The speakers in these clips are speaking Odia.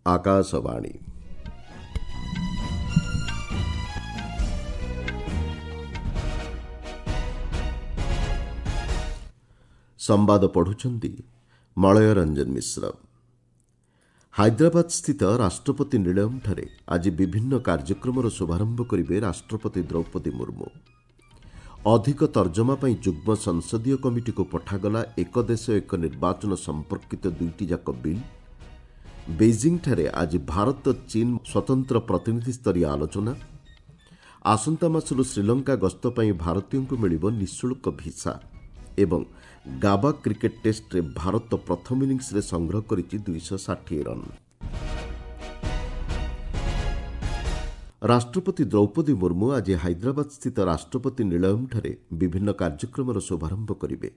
ଆକାଶବାଣୀ। ସମ୍ବାଦ ପଢ଼ୁଛନ୍ତି ମଳୟ ରଞ୍ଜନ ମିଶ୍ର। ହାଇଦ୍ରାବାଦ ସ୍ଥିତ ରାଷ୍ଟ୍ରପତି ନିଳୟମ୍ଠାରେ ଆଜି ବିଭିନ୍ନ କାର୍ଯ୍ୟକ୍ରମର ଶୁଭାରମ୍ଭ କରିବେ ରାଷ୍ଟ୍ରପତି ଦ୍ରୌପଦୀ ମୁର୍ମୁ। ଅଧିକ ତର୍ଜମା ପାଇଁ ଯୁଗ୍ମ ସଂସଦୀୟ କମିଟିକୁ ପଠାଗଲା ଏକ ଦେଶ ଏକ ନିର୍ବାଚନ ସମ୍ପର୍କିତ ଦୁଇଟି ଯାକ ବିଲ୍। ବେଇଜିଂଠାରେ ଆଜି ଭାରତ ଚୀନ ସ୍ୱତନ୍ତ୍ର ପ୍ରତିନିଧି ସ୍ତରୀୟ ଆଲୋଚନା। ଆସନ୍ତା ମାସରୁ ଶ୍ରୀଲଙ୍କା ଗସ୍ତ ପାଇଁ ଭାରତୀୟଙ୍କୁ ମିଳିବ ନିଃଶୁଳ୍କ ଭିସା ଏବଂ ଗାବା କ୍ରିକେଟ୍ ଟେଷ୍ଟରେ ଭାରତ ପ୍ରଥମ ଇନିଂସରେ ସଂଗ୍ରହ କରିଛି 260 ରନ୍। ରାଷ୍ଟ୍ରପତି ଦ୍ରୌପଦୀ ମୁର୍ମୁ ଆଜି ହାଇଦ୍ରାବାଦ ସ୍ଥିତ ରାଷ୍ଟ୍ରପତି ନିଳୟମ୍ଠାରେ ବିଭିନ୍ନ କାର୍ଯ୍ୟକ୍ରମର ଶୁଭାରମ୍ଭ କରିବେ।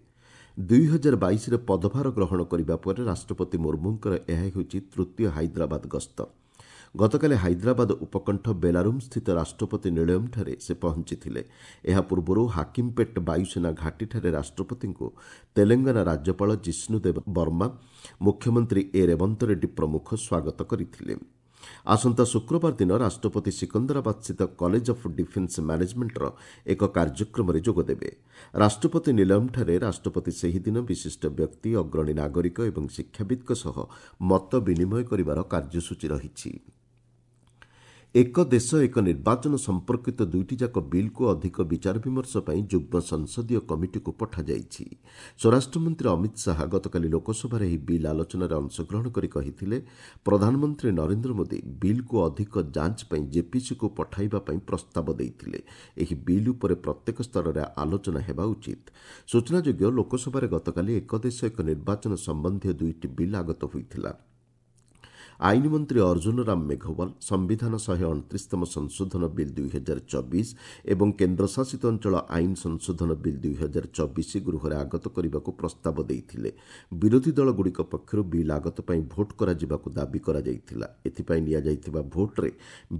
2022ରେ ପଦଭାର ଗ୍ରହଣ କରିବା ପରେ ରାଷ୍ଟ୍ରପତି ମୁର୍ମୁଙ୍କର ଏହା ହେଉଛି ତୃତୀୟ ହାଇଦ୍ରାବାଦ ଗସ୍ତ। ଗତକାଲି ହାଇଦ୍ରାବାଦ ଉପକଣ୍ଠ ବେଲାରୁମ୍ ସ୍ଥିତ ରାଷ୍ଟ୍ରପତି ନିଳୟମ୍ଠାରେ ସେ ପହଞ୍ଚିଥିଲେ। ଏହା ପୂର୍ବରୁ ହାକିମ୍ପେଟ୍ ବାୟୁସେନା ଘାଟିଠାରେ ରାଷ୍ଟ୍ରପତିଙ୍କୁ ତେଲେଙ୍ଗାନା ରାଜ୍ୟପାଳ ଜିଷ୍ଣୁଦେବ ବର୍ମା, ମୁଖ୍ୟମନ୍ତ୍ରୀ ଏ ରେବନ୍ତ ରେଡ୍ଡୀ ପ୍ରମୁଖ ସ୍ୱାଗତ କରିଥିଲେ। ଆସନ୍ତା ଶୁକ୍ରବାର ଦିନ ରାଷ୍ଟ୍ରପତି ସିକନ୍ଦରାବାଦ ସ୍ଥିତ କଲେଜ ଅଫ୍ ଡିଫେନ୍ସ ମ୍ୟାନେଜମେଣ୍ଟର ଏକ କାର୍ଯ୍ୟକ୍ରମରେ ଯୋଗଦେବେ। ରାଷ୍ଟ୍ରପତି ନିଲୟମ୍ଠାରେ ରାଷ୍ଟ୍ରପତି ସେହିଦିନ ବିଶିଷ୍ଟ ବ୍ୟକ୍ତି, ଅଗ୍ରଣୀ ନାଗରିକ ଏବଂ ଶିକ୍ଷାବିତ୍ଙ୍କ ସହ ମତ ବିନିମୟ କରିବାର କାର୍ଯ୍ୟସୂଚୀ ରହିଛି। ଏକ ଦେଶ ଏକ ନିର୍ବାଚନ ସମ୍ପର୍କିତ ଦୁଇଟି ଯାକ ବିଲ୍କୁ ଅଧିକ ବିଚାର ବିମର୍ଶ ପାଇଁ ଯୁଗ୍ମ ସଂସଦୀୟ କମିଟିକୁ ପଠାଯାଇଛି। ସ୍ୱରାଷ୍ଟ୍ରମନ୍ତ୍ରୀ ଅମିତ ଶାହା ଗତକାଲି ଲୋକସଭାରେ ଏହି ବିଲ୍ ଆଲୋଚନାରେ ଅଂଶଗ୍ରହଣ କରି କହିଥିଲେ, ପ୍ରଧାନମନ୍ତ୍ରୀ ନରେନ୍ଦ୍ର ମୋଦି ବିଲ୍କୁ ଅଧିକ ଯାଞ୍ଚ ପାଇଁ ଜେପିସିକୁ ପଠାଇବା ପାଇଁ ପ୍ରସ୍ତାବ ଦେଇଥିଲେ। ଏହି ବିଲ୍ ଉପରେ ପ୍ରତ୍ୟେକ ସ୍ତରରେ ଆଲୋଚନା ହେବା ଉଚିତ। ସୂଚନାଯୋଗ୍ୟ, ଲୋକସଭାରେ ଗତକାଲି ଏକ ଦେଶ ଏକ ନିର୍ବାଚନ ସମ୍ବନ୍ଧୀୟ ଦୁଇଟି ବିଲ୍ ଆଗତ ହୋଇଥିଲା। ଆଇନ ମନ୍ତ୍ରୀ ଅର୍ଜୁନ ରାମ ମେଘୱାଲ ସମ୍ବିଧାନ 129ତମ ସଂଶୋଧନ ବିଲ୍ 2024 ଏବଂ କେନ୍ଦ୍ରଶାସିତ ଅଞ୍ଚଳ ଆଇନ ସଂଶୋଧନ ବିଲ୍ 2024 ଗୃହରେ ଆଗତ କରିବାକୁ ପ୍ରସ୍ତାବ ଦେଇଥିଲେ। ବିରୋଧୀ ଦଳଗୁଡ଼ିକ ପକ୍ଷରୁ ବିଲ୍ ଆଗତ ପାଇଁ ଭୋଟ୍ କରାଯିବାକୁ ଦାବି କରାଯାଇଥିଲା। ଏଥିପାଇଁ ନିଆଯାଇଥିବା ଭୋଟ୍ରେ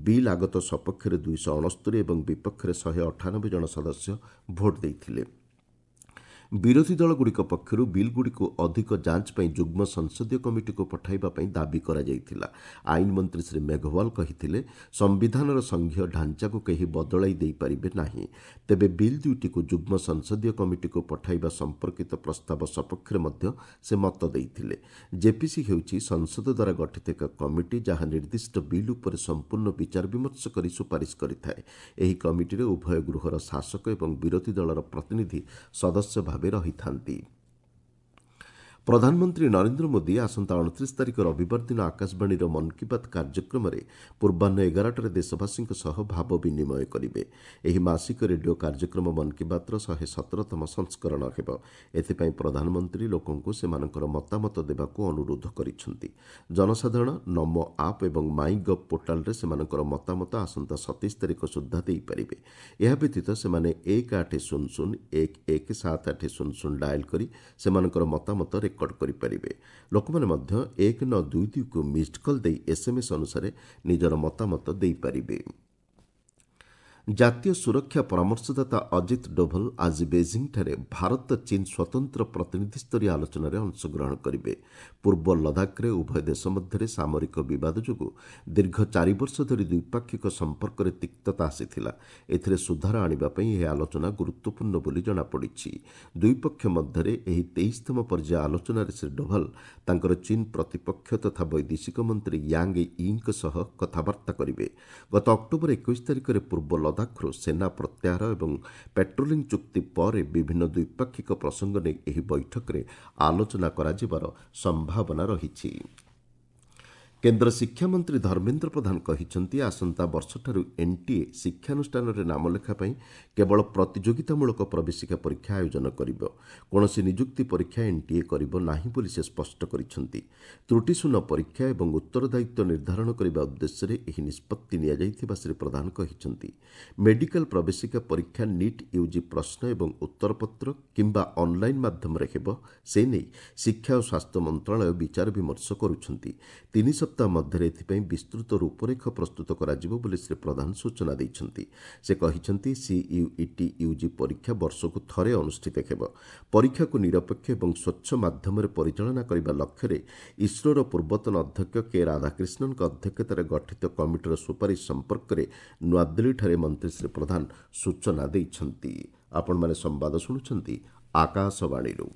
ବିଲ୍ ଆଗତ ସପକ୍ଷରେ 269 ଏବଂ ବିପକ୍ଷରେ 198 ଜଣ ସଦସ୍ୟ ଭୋଟ୍ ଦେଇଥିଲେ। ବିରୋଧୀ ଦଳଗୁଡ଼ିକ ପକ୍ଷରୁ ବିଲ୍ଗୁଡ଼ିକୁ ଅଧିକ ଯାଞ୍ଚ ପାଇଁ ଯୁଗ୍ମ ସଂସଦୀୟ କମିଟିକୁ ପଠାଇବା ପାଇଁ ଦାବି କରାଯାଇଥିଲା। ଆଇନ ମନ୍ତ୍ରୀ ଶ୍ରୀ ମେଘୱାଲ କହିଥିଲେ, ସମ୍ବିଧାନର ସଂଘୀୟ ଢାଞ୍ଚାକୁ କେହି ବଦଳାଇ ଦେଇପାରିବେ ନାହିଁ। ତେବେ ବିଲ୍ ଦୁଇଟିକୁ ଯୁଗ୍ମ ସଂସଦୀୟ କମିଟିକୁ ପଠାଇବା ସମ୍ପର୍କିତ ପ୍ରସ୍ତାବ ସପକ୍ଷରେ ମଧ୍ୟ ସେ ମତ ଦେଇଥିଲେ। ଜେପିସି ହେଉଛି ସଂସଦ ଦ୍ୱାରା ଗଠିତ ଏକ କମିଟି, ଯାହା ନିର୍ଦ୍ଦିଷ୍ଟ ବିଲ୍ ଉପରେ ସମ୍ପୂର୍ଣ୍ଣ ବିଚାର ବିମର୍ଶ କରି ସୁପାରିଶ କରିଥାଏ। ଏହି କମିଟିରେ ଉଭୟ ଗୃହର ଶାସକ ଏବଂ ବିରୋଧୀ ଦଳର ପ୍ରତିନିଧି ସଦସ୍ୟ ଭାବେ ରହିଥାନ୍ତି। ପ୍ରଧାନମନ୍ତ୍ରୀ ନରେନ୍ଦ୍ର ମୋଦି ଆସନ୍ତା 29 ତାରିଖ ରବିବାର ଦିନ ଆକାଶବାଣୀର ମନ୍ କି ବାତ୍ କାର୍ଯ୍ୟକ୍ରମରେ ପୂର୍ବାହ୍ନ 11ଟାରେ ଦେଶବାସୀଙ୍କ ସହ ଭାବ ବିନିମୟ କରିବେ। ଏହି ମାସିକ ରେଡିଓ କାର୍ଯ୍ୟକ୍ରମ ମନ୍ କି ବାତ୍ର 117ତମ ସଂସ୍କରଣ ହେବ। ଏଥିପାଇଁ ପ୍ରଧାନମନ୍ତ୍ରୀ ଲୋକଙ୍କୁ ସେମାନଙ୍କର ମତାମତ ଦେବାକୁ ଅନୁରୋଧ କରିଛନ୍ତି। ଜନସାଧାରଣ ନମୋ ଆପ୍ ଏବଂ ମାଇ ଗଭ୍ ପୋର୍ଟାଲରେ ସେମାନଙ୍କର ମତାମତ ଆସନ୍ତା 27 ତାରିଖ ସୁଦ୍ଧା ଦେଇପାରିବେ। ଏହା ବ୍ୟତୀତ ସେମାନେ 1 8 0 0 1 1 7 8 0 0 ଡାଏଲ୍ କରି ସେମାନଙ୍କର ମତାମତ ରେକର୍ଡ କରିପାରିବେ। ଲୋକମାନେ ମଧ୍ୟ 1 9 2 2କୁ ମିସ୍ଡ କଲ୍ ଦେଇ ଏସ୍ଏମ୍ଏସ୍ ଅନୁସାରେ ନିଜର ମତାମତ ଦେଇପାରିବେ। ଜାତୀୟ ସୁରକ୍ଷା ପରାମର୍ଶଦାତା ଅଜିତ ଡୋଭଲ ଆଜି ବେଜିଂଠାରେ ଭାରତ ଚୀନ ସ୍ୱତନ୍ତ୍ର ପ୍ରତିନିଧିସ୍ତରୀୟ ଆଲୋଚନାରେ ଅଂଶଗ୍ରହଣ କରିବେ। ପୂର୍ବ ଲଦାଖରେ ଉଭୟ ଦେଶ ମଧ୍ୟରେ ସାମରିକ ବିବାଦ ଯୋଗୁଁ ଦୀର୍ଘ 4 ବର୍ଷ ଧରି ଦ୍ୱିପାକ୍ଷିକ ସମ୍ପର୍କରେ ତିକ୍ତତା ଆସିଥିଲା। ଏଥିରେ ସୁଧାର ଆଣିବା ପାଇଁ ଏହି ଆଲୋଚନା ଗୁରୁତ୍ୱପୂର୍ଣ୍ଣ ବୋଲି ଜଣାପଡ଼ିଛି। ଦୁଇ ପକ୍ଷ ମଧ୍ୟରେ ଏହି 23ତମ ପର୍ଯ୍ୟାୟ ଆଲୋଚନାରେ ଶ୍ରୀ ଡୋଭାଲ ତାଙ୍କର ଚୀନ ପ୍ରତିପକ୍ଷ ତଥା ବୈଦେଶିକ ମନ୍ତ୍ରୀ ୟାଙ୍ଗ ୟିଙ୍କ ସହ କଥାବାର୍ତ୍ତା କରିବେ। ଗତ ଅକ୍ଟୋବର 21 ତାରିଖରେ ପୂର୍ବ ଲଦାଖରୁ ସେନା ପ୍ରତ୍ୟାହାର ଏବଂ ପେଟ୍ରୋଲିଂ ଚୁକ୍ତି ପରେ ବିଭିନ୍ନ ଦ୍ୱିପାକ୍ଷିକ ପ୍ରସଙ୍ଗ ନେଇ ଏହି ବୈଠକରେ ଆଲୋଚନା କରାଯିବାର ସମ୍ଭାବନା ରହିଛି। କେନ୍ଦ୍ର ଶିକ୍ଷାମନ୍ତ୍ରୀ ଧର୍ମେନ୍ଦ୍ର ପ୍ରଧାନ କହିଛନ୍ତି, ଆସନ୍ତା ବର୍ଷଠାରୁ ଏନ୍ଟିଏ ଶିକ୍ଷାନୁଷ୍ଠାନରେ ନାମଲେଖା ପାଇଁ କେବଳ ପ୍ରତିଯୋଗିତାମୂଳକ ପ୍ରବେଶିକା ପରୀକ୍ଷା ଆୟୋଜନ କରିବ। କୌଣସି ନିଯୁକ୍ତି ପରୀକ୍ଷା ଏନ୍ଟିଏ କରିବ ନାହିଁ ବୋଲି ସେ ସ୍ପଷ୍ଟ କରିଛନ୍ତି। ତ୍ରୁଟିଶୂନ୍ୟ ପରୀକ୍ଷା ଏବଂ ଉତ୍ତରଦାୟିତ୍ୱ ନିର୍ଦ୍ଧାରଣ କରିବା ଉଦ୍ଦେଶ୍ୟରେ ଏହି ନିଷ୍ପତ୍ତି ନିଆଯାଇଥିବା ଶ୍ରୀ ପ୍ରଧାନ କହିଛନ୍ତି। ମେଡିକାଲ ପ୍ରବେଶିକା ପରୀକ୍ଷା ନିଟ୍ ୟୁଜି ପ୍ରଶ୍ନ ଏବଂ ଉତ୍ତରପତ୍ର କିମ୍ବା ଅନ୍ଲାଇନ୍ ମାଧ୍ୟମରେ ହେବ, ସେ ନେଇ ଶିକ୍ଷା ଓ ସ୍ୱାସ୍ଥ୍ୟ ମନ୍ତ୍ରଣାଳୟ ବିଚାର ବିମର୍ଶ କରୁଛନ୍ତି। 3 ସପ୍ତାହ ସପ୍ତାହ ମଧ୍ୟରେ ଏଥିପାଇଁ ବିସ୍ତୃତ ରୂପରେଖ ପ୍ରସ୍ତୁତ କରାଯିବ ବୋଲି ଶ୍ରୀ ପ୍ରଧାନ ସୂଚନା ଦେଇଛନ୍ତି। ସେ କହିଛନ୍ତି, ସିୟୁଇଟି ୟୁଜି ପରୀକ୍ଷା ବର୍ଷକୁ ଥରେ ଅନୁଷ୍ଠିତ ହେବ। ପରୀକ୍ଷାକୁ ନିରପେକ୍ଷ ଏବଂ ସ୍ୱଚ୍ଛ ମାଧ୍ୟମରେ ପରିଚାଳନା କରିବା ଲକ୍ଷ୍ୟରେ ଇସ୍ରୋର ପୂର୍ବତନ ଅଧ୍ୟକ୍ଷ କେ ରାଧାକ୍ରିଷ୍ଣନଙ୍କ ଅଧ୍ୟକ୍ଷତାରେ ଗଠିତ କମିଟିର ସୁପାରିଶ ସମ୍ପର୍କରେ ନୂଆଦିଲ୍ଲୀଠାରେ ମନ୍ତ୍ରୀ ଶ୍ରୀ ପ୍ରଧାନ ସୂଚନା ଦେଇଛନ୍ତି। ଆପଣମାନେ ସମ୍ବାଦ ଶୁଣୁଛନ୍ତି ଆକାଶବାଣୀରୁ।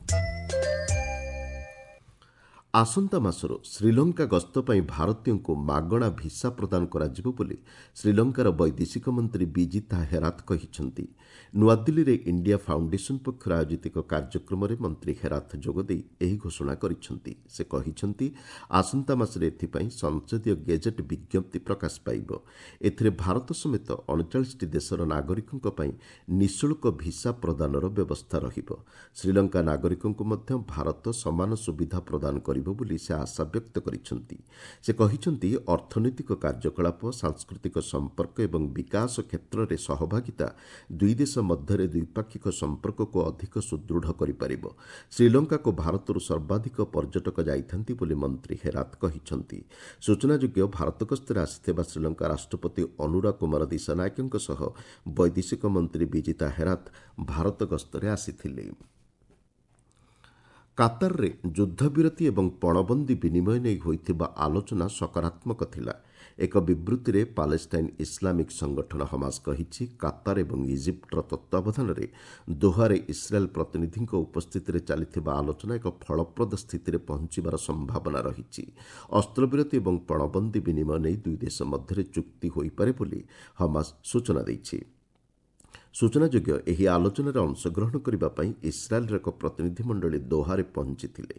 ଆସନ୍ତା ମାସରୁ ଶ୍ରୀଲଙ୍କା ଗସ୍ତ ପାଇଁ ଭାରତୀୟଙ୍କୁ ମାଗଣା ଭିସା ପ୍ରଦାନ କରାଯିବ ବୋଲି ଶ୍ରୀଲଙ୍କାର ବୈଦେଶିକ ମନ୍ତ୍ରୀ ବିଜିତା ହେରାତ କହିଛନ୍ତି। ନୂଆଦିଲ୍ଲୀରେ ଇଣ୍ଡିଆ ଫାଉଣ୍ଡେସନ ପକ୍ଷରୁ ଆୟୋଜିତ ଏକ କାର୍ଯ୍ୟକ୍ରମରେ ମନ୍ତ୍ରୀ ହେରାତ ଯୋଗଦେଇ ଏହି ଘୋଷଣା କରିଛନ୍ତି। ସେ କହିଛନ୍ତି, ଆସନ୍ତା ମାସରେ ଏଥିପାଇଁ ସଂସଦୀୟ ଗେଜେଟ୍ ବିଜ୍ଞପ୍ତି ପ୍ରକାଶ ପାଇବ। ଏଥିରେ ଭାରତ ସମେତ 39ଟି ଦେଶର ନାଗରିକଙ୍କ ପାଇଁ ନିଃଶୁଳ୍କ ଭିସା ପ୍ରଦାନର ବ୍ୟବସ୍ଥା ରହିବ। ଶ୍ରୀଲଙ୍କା ନାଗରିକଙ୍କୁ ମଧ୍ୟ ଭାରତ ସମାନ ସୁବିଧା ପ୍ରଦାନ କରିବ ବୋଲି ସେ ଆଶା ବ୍ୟକ୍ତ କରିଛନ୍ତି। ସେ କହିଛନ୍ତି, ଅର୍ଥନୈତିକ କାର୍ଯ୍ୟକଳାପ, ସାଂସ୍କୃତିକ ସମ୍ପର୍କ ଏବଂ ବିକାଶ କ୍ଷେତ୍ରରେ ସହଭାଗିତା ଦୁଇ ଦେଶ ମଧ୍ୟରେ ଦ୍ୱିପାକ୍ଷିକ ସମ୍ପର୍କକୁ ଅଧିକ ସୁଦୃଢ଼ କରିପାରିବ। ଶ୍ରୀଲଙ୍କାକୁ ଭାରତରୁ ସର୍ବାଧିକ ପର୍ଯ୍ୟଟକ ଯାଇଥାନ୍ତି ବୋଲି ମନ୍ତ୍ରୀ ହେରାତ କହିଛନ୍ତି। ସୂଚନାଯୋଗ୍ୟ, ଭାରତ ଗସ୍ତରେ ଆସିଥିବା ଶ୍ରୀଲଙ୍କା ରାଷ୍ଟ୍ରପତି ଅନୁରା କୁମାର ଦିଶାନାୟକଙ୍କ ସହ ବୈଦେଶିକ ମନ୍ତ୍ରୀ ବିଜିତା ହେରାତ ଭାରତ ଗସ୍ତରେ ଆସିଥିଲେ। କାତାରରେ ଯୁଦ୍ଧବିରତି ଏବଂ ପଣବନ୍ଦୀ ବିନିମୟ ନେଇ ହୋଇଥିବା ଆଲୋଚନା ସକାରାତ୍ମକ ଥିଲା। ଏକ ବିବୃତ୍ତିରେ ପାଲେଷ୍ଟାଇନ୍ ଇସଲାମିକ୍ ସଂଗଠନ ହମାସ କହିଛି, କାତାର ଏବଂ ଇଜିପ୍ଟର ତତ୍ତ୍ୱାବଧାନରେ ଦୋହାରେ ଇସ୍ରାଏଲ୍ ପ୍ରତିନିଧିଙ୍କ ଉପସ୍ଥିତିରେ ଚାଲିଥିବା ଆଲୋଚନା ଏକ ଫଳପ୍ରଦ ସ୍ଥିତିରେ ପହଞ୍ଚିବାର ସମ୍ଭାବନା ରହିଛି। ଅସ୍ତ୍ରବିରତି ଏବଂ ପଣବନ୍ଦୀ ବିନିମୟ ନେଇ ଦୁଇ ଦେଶ ମଧ୍ୟରେ ଚୁକ୍ତି ହୋଇପାରେ ବୋଲି ହମାସ ସୂଚନା ଦେଇଛି। ସୂଚନାଯୋଗ୍ୟ, ଏହି ଆଲୋଚନାରେ ଅଂଶଗ୍ରହଣ କରିବା ପାଇଁ ଇସ୍ରାଏଲ୍ର ଏକ ପ୍ରତିନିଧିମଣ୍ଡଳୀ ଦୋହାରେ ପହଞ୍ଚିଥିଲେ।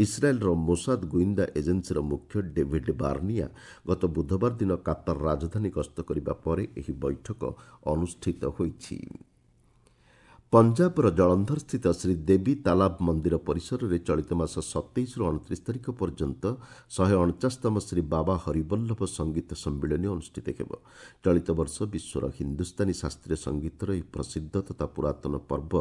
ଇସ୍ରାଏଲ୍ର ମୋସାଦ ଗୁଇନ୍ଦା ଏଜେନ୍ସିର ମୁଖ୍ୟ ଡେଭିଡ୍ ବାର୍ନିଆ ଗତ ବୁଧବାର ଦିନ କାତାର ରାଜଧାନୀ ଗସ୍ତ କରିବା ପରେ ଏହି ବୈଠକ ଅନୁଷ୍ଠିତ ହୋଇଛି। ପଞ୍ଜାବର ଜଳନ୍ଧରସ୍ଥିତ ଶ୍ରୀ ଦେବୀ ତାଲାବ ମନ୍ଦିର ପରିସରରେ ଚଳିତ ମାସ 27ରୁ 29 ତାରିଖ ପର୍ଯ୍ୟନ୍ତ 149ତମ ଶ୍ରୀ ବାବା ହରିବଲ୍ଲଭ ସଙ୍ଗୀତ ସମ୍ମିଳନୀ ଅନୁଷ୍ଠିତ ହେବ। ଚଳିତ ବର୍ଷ ବିଶ୍ୱର ହିନ୍ଦୁସ୍ତାନୀ ଶାସ୍ତ୍ରୀୟ ସଙ୍ଗୀତର ଏହି ପ୍ରସିଦ୍ଧ ତଥା ପୁରାତନ ପର୍ବ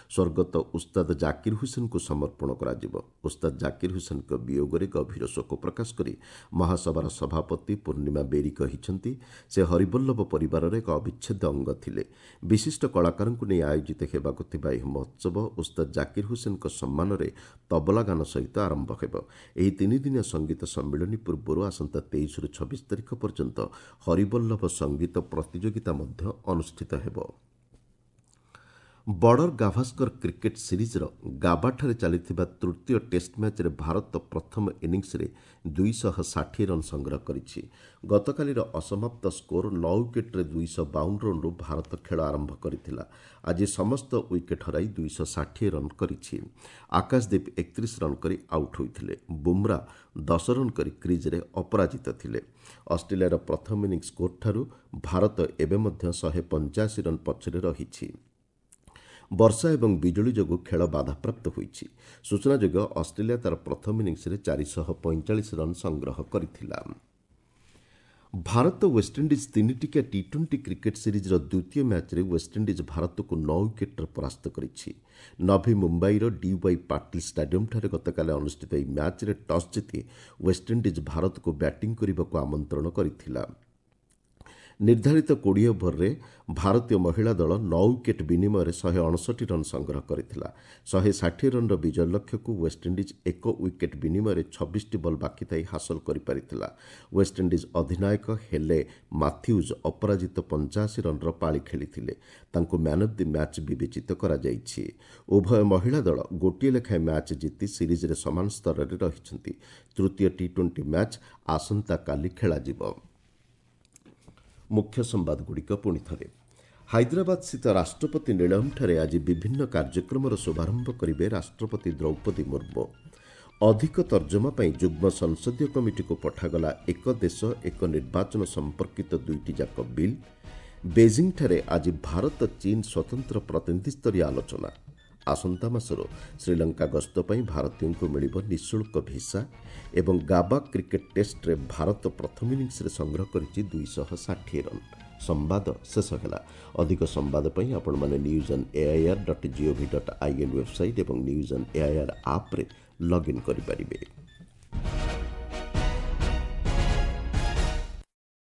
ସ୍ୱର୍ଗତ ଉସ୍ତାଦ ଜାକିର ହୁସେନଙ୍କୁ ସମର୍ପଣ କରାଯିବ। ଉସ୍ତାଦ ଜାକିର ହୁସେନଙ୍କ ବିୟୋଗରେ ଗଭୀର ଶୋକ ପ୍ରକାଶ କରି ମହାସଭାର ସଭାପତି ପୂର୍ଣ୍ଣିମା ବେରୀ କହିଛନ୍ତି, ସେ ହରିବଲ୍ଲଭ ପରିବାରର ଏକ ଅବିଚ୍ଛେଦ୍ୟ ଅଙ୍ଗ ଥିଲେ। ବିଶିଷ୍ଟ କଳାକାରଙ୍କୁ ନେଇ ଆୟୋଜିତ ହେବାକୁ ଥିବା ଏହି ମହୋତ୍ସବ ଉସ୍ତାଦ ଜାକିର ହୁସେନଙ୍କ ସମ୍ମାନରେ ତବଲା ଗାନ ସହିତ ଆରମ୍ଭ ହେବ। ଏହି ତିନିଦିନିଆ ସଙ୍ଗୀତ ସମ୍ମିଳନୀ ପୂର୍ବରୁ ଆସନ୍ତା 23ରୁ 26 ତାରିଖ ପର୍ଯ୍ୟନ୍ତ ହରିବଲ୍ଲଭ ସଙ୍ଗୀତ ପ୍ରତିଯୋଗିତା ମଧ୍ୟ ଅନୁଷ୍ଠିତ ହେବ। ବର୍ଡର ଗାଭାସ୍କର କ୍ରିକେଟ୍ ସିରିଜ୍ର ଗାବାଠାରେ ଚାଲିଥିବା ତୃତୀୟ ଟେଷ୍ଟ ମ୍ୟାଚ୍ରେ ଭାରତ ପ୍ରଥମ ଇନିଂସରେ 260 ରନ୍ ସଂଗ୍ରହ କରିଛି। ଗତକାଲିର ଅସମାପ୍ତ ସ୍କୋର 9 ୱିକେଟ୍ରେ 252 ରନ୍ରୁ ଭାରତ ଖେଳ ଆରମ୍ଭ କରିଥିଲା। ଆଜି ସମସ୍ତ ୱିକେଟ୍ ହରାଇ 260 ରନ୍ କରିଛି। ଆକାଶଦୀପ 31 ରନ୍ କରି ଆଉଟ୍ ହୋଇଥିଲେ। ବୁମ୍ରା 10 ରନ୍ କରି କ୍ରିଜ୍ରେ ଅପରାଜିତ ଥିଲେ। ଅଷ୍ଟ୍ରେଲିଆର ପ୍ରଥମ ଇନିଂସ ସ୍କୋରଠାରୁ ଭାରତ ଏବେ ମଧ୍ୟ 185 ରନ୍ ପଛରେ ରହିଛି। ବର୍ଷା ଏବଂ ବିଜୁଳି ଯୋଗୁଁ ଖେଳ ବାଧାପ୍ରାପ୍ତ ହୋଇଛି। ସୂଚନାଯୋଗ୍ୟ, ଅଷ୍ଟ୍ରେଲିଆ ତା'ର ପ୍ରଥମ ଇନିଂସରେ 445 ରନ୍ ସଂଗ୍ରହ କରିଥିଲା। ଭାରତ ୱେଷ୍ଟଇଣ୍ଡିଜ୍ ତିନିଟିକିଆ ଟି ଟ୍ୱେଣ୍ଟି କ୍ରିକେଟ୍ ସିରିଜ୍ର ଦ୍ୱିତୀୟ ମ୍ୟାଚ୍ରେ ୱେଷ୍ଟଇଣ୍ଡିଜ୍ ଭାରତକୁ 9 ୱିକେଟ୍ରେ ପରାସ୍ତ କରିଛି। ନଭି ମୁମ୍ବାଇର ଡିୱାଇ ପାଟିଲ ଷ୍ଟାଡିୟମ୍ଠାରେ ଗତକାଲି ଅନୁଷ୍ଠିତ ଏହି ମ୍ୟାଚ୍ରେ ଟସ୍ ଜିତି ୱେଷ୍ଟଇଣ୍ଡିଜ୍ ଭାରତକୁ ବ୍ୟାଟିଂ କରିବାକୁ ଆମନ୍ତ୍ରଣ କରିଥିଲା। ନିର୍ଦ୍ଧାରିତ 20 ଓଭରରେ ଭାରତୀୟ ମହିଳା ଦଳ 9 ୱିକେଟ୍ ବିନିମୟରେ 159 ରନ୍ ସଂଗ୍ରହ କରିଥିଲା। 160 ରନ୍ର ବିଜୟ ଲକ୍ଷ୍ୟକୁ ୱେଷ୍ଟଇଣ୍ଡିଜ୍ 1 ୱିକେଟ୍ ବିନିମୟରେ 26ଟି ବଲ୍ ବାକି ଥାଇ ହାସଲ କରିପାରିଥିଲା। ୱେଷ୍ଟଇଣ୍ଡିଜ୍ ଅଧିନାୟକ ହେଲେ ମାଥ୍ୟୁଜ୍ ଅପରାଜିତ 85 ରନ୍ର ପାଳି ଖେଳିଥିଲେ। ତାଙ୍କୁ ମ୍ୟାନ୍ ଅଫ୍ the match ବିବେଚିତ କରାଯାଇଛି। ଉଭୟ ମହିଳା ଦଳ ଗୋଟିଏ ଲେଖାଏଁ ମ୍ୟାଚ୍ ଜିତି ସିରିଜ୍ରେ ସମାନ ସ୍ତରରେ ରହିଛନ୍ତି। ତୃତୀୟ ଟି ଟ୍ୱେଣ୍ଟି ମ୍ୟାଚ୍ ଆସନ୍ତାକାଲି ଖେଳାଯିବ। ମୁଖ୍ୟ ସମ୍ବାଦଗୁଡ଼ିକ ପୁଣି ଥରେ। ହାଇଦ୍ରାବାଦସ୍ଥିତ ରାଷ୍ଟ୍ରପତି ନିଳୟମ୍ଠାରେ ଆଜି ବିଭିନ୍ନ କାର୍ଯ୍ୟକ୍ରମର ଶୁଭାରମ୍ଭ କରିବେ ରାଷ୍ଟ୍ରପତି ଦ୍ରୌପଦୀ ମୁର୍ମୁ। ଅଧିକ ତର୍ଜମା ପାଇଁ ଯୁଗ୍ମ ସଂସଦୀୟ କମିଟିକୁ ପଠାଗଲା ଏକ ଦେଶ ଏକ ନିର୍ବାଚନ ସମ୍ପର୍କିତ ଦୁଇଟି ଯାକ ବିଲ୍। ବେଜିଂଠାରେ ଆଜି ଭାରତ ଚୀନ ସ୍ୱତନ୍ତ୍ର ପ୍ରତିନିଧିସ୍ତରୀୟ ଆଲୋଚନା। ଆସନ୍ତା ମାସରୁ ଶ୍ରୀଲଙ୍କା ଗସ୍ତ ପାଇଁ ଭାରତୀୟଙ୍କୁ ମିଳିବ ନିଃଶୁଳ୍କ ଭିସା। ଏବଂ ଗାବା କ୍ରିକେଟ୍ ଟେଷ୍ଟରେ ଭାରତ ପ୍ରଥମ ଇନିଂସରେ ସଂଗ୍ରହ କରିଛି 260 ରନ୍। ସମ୍ବାଦ ଶେଷ ହେଲା। ଅଧିକ ସମ୍ବାଦ ପାଇଁ ଆପଣମାନେ news on AIR dot GOV dot IN website ଏବଂ ନ୍ୟୁଜ୍ ଅନ୍ ଏଆଇଆର୍ ଆପ୍ରେ ଲଗ୍ଇନ୍ କରିପାରିବେ।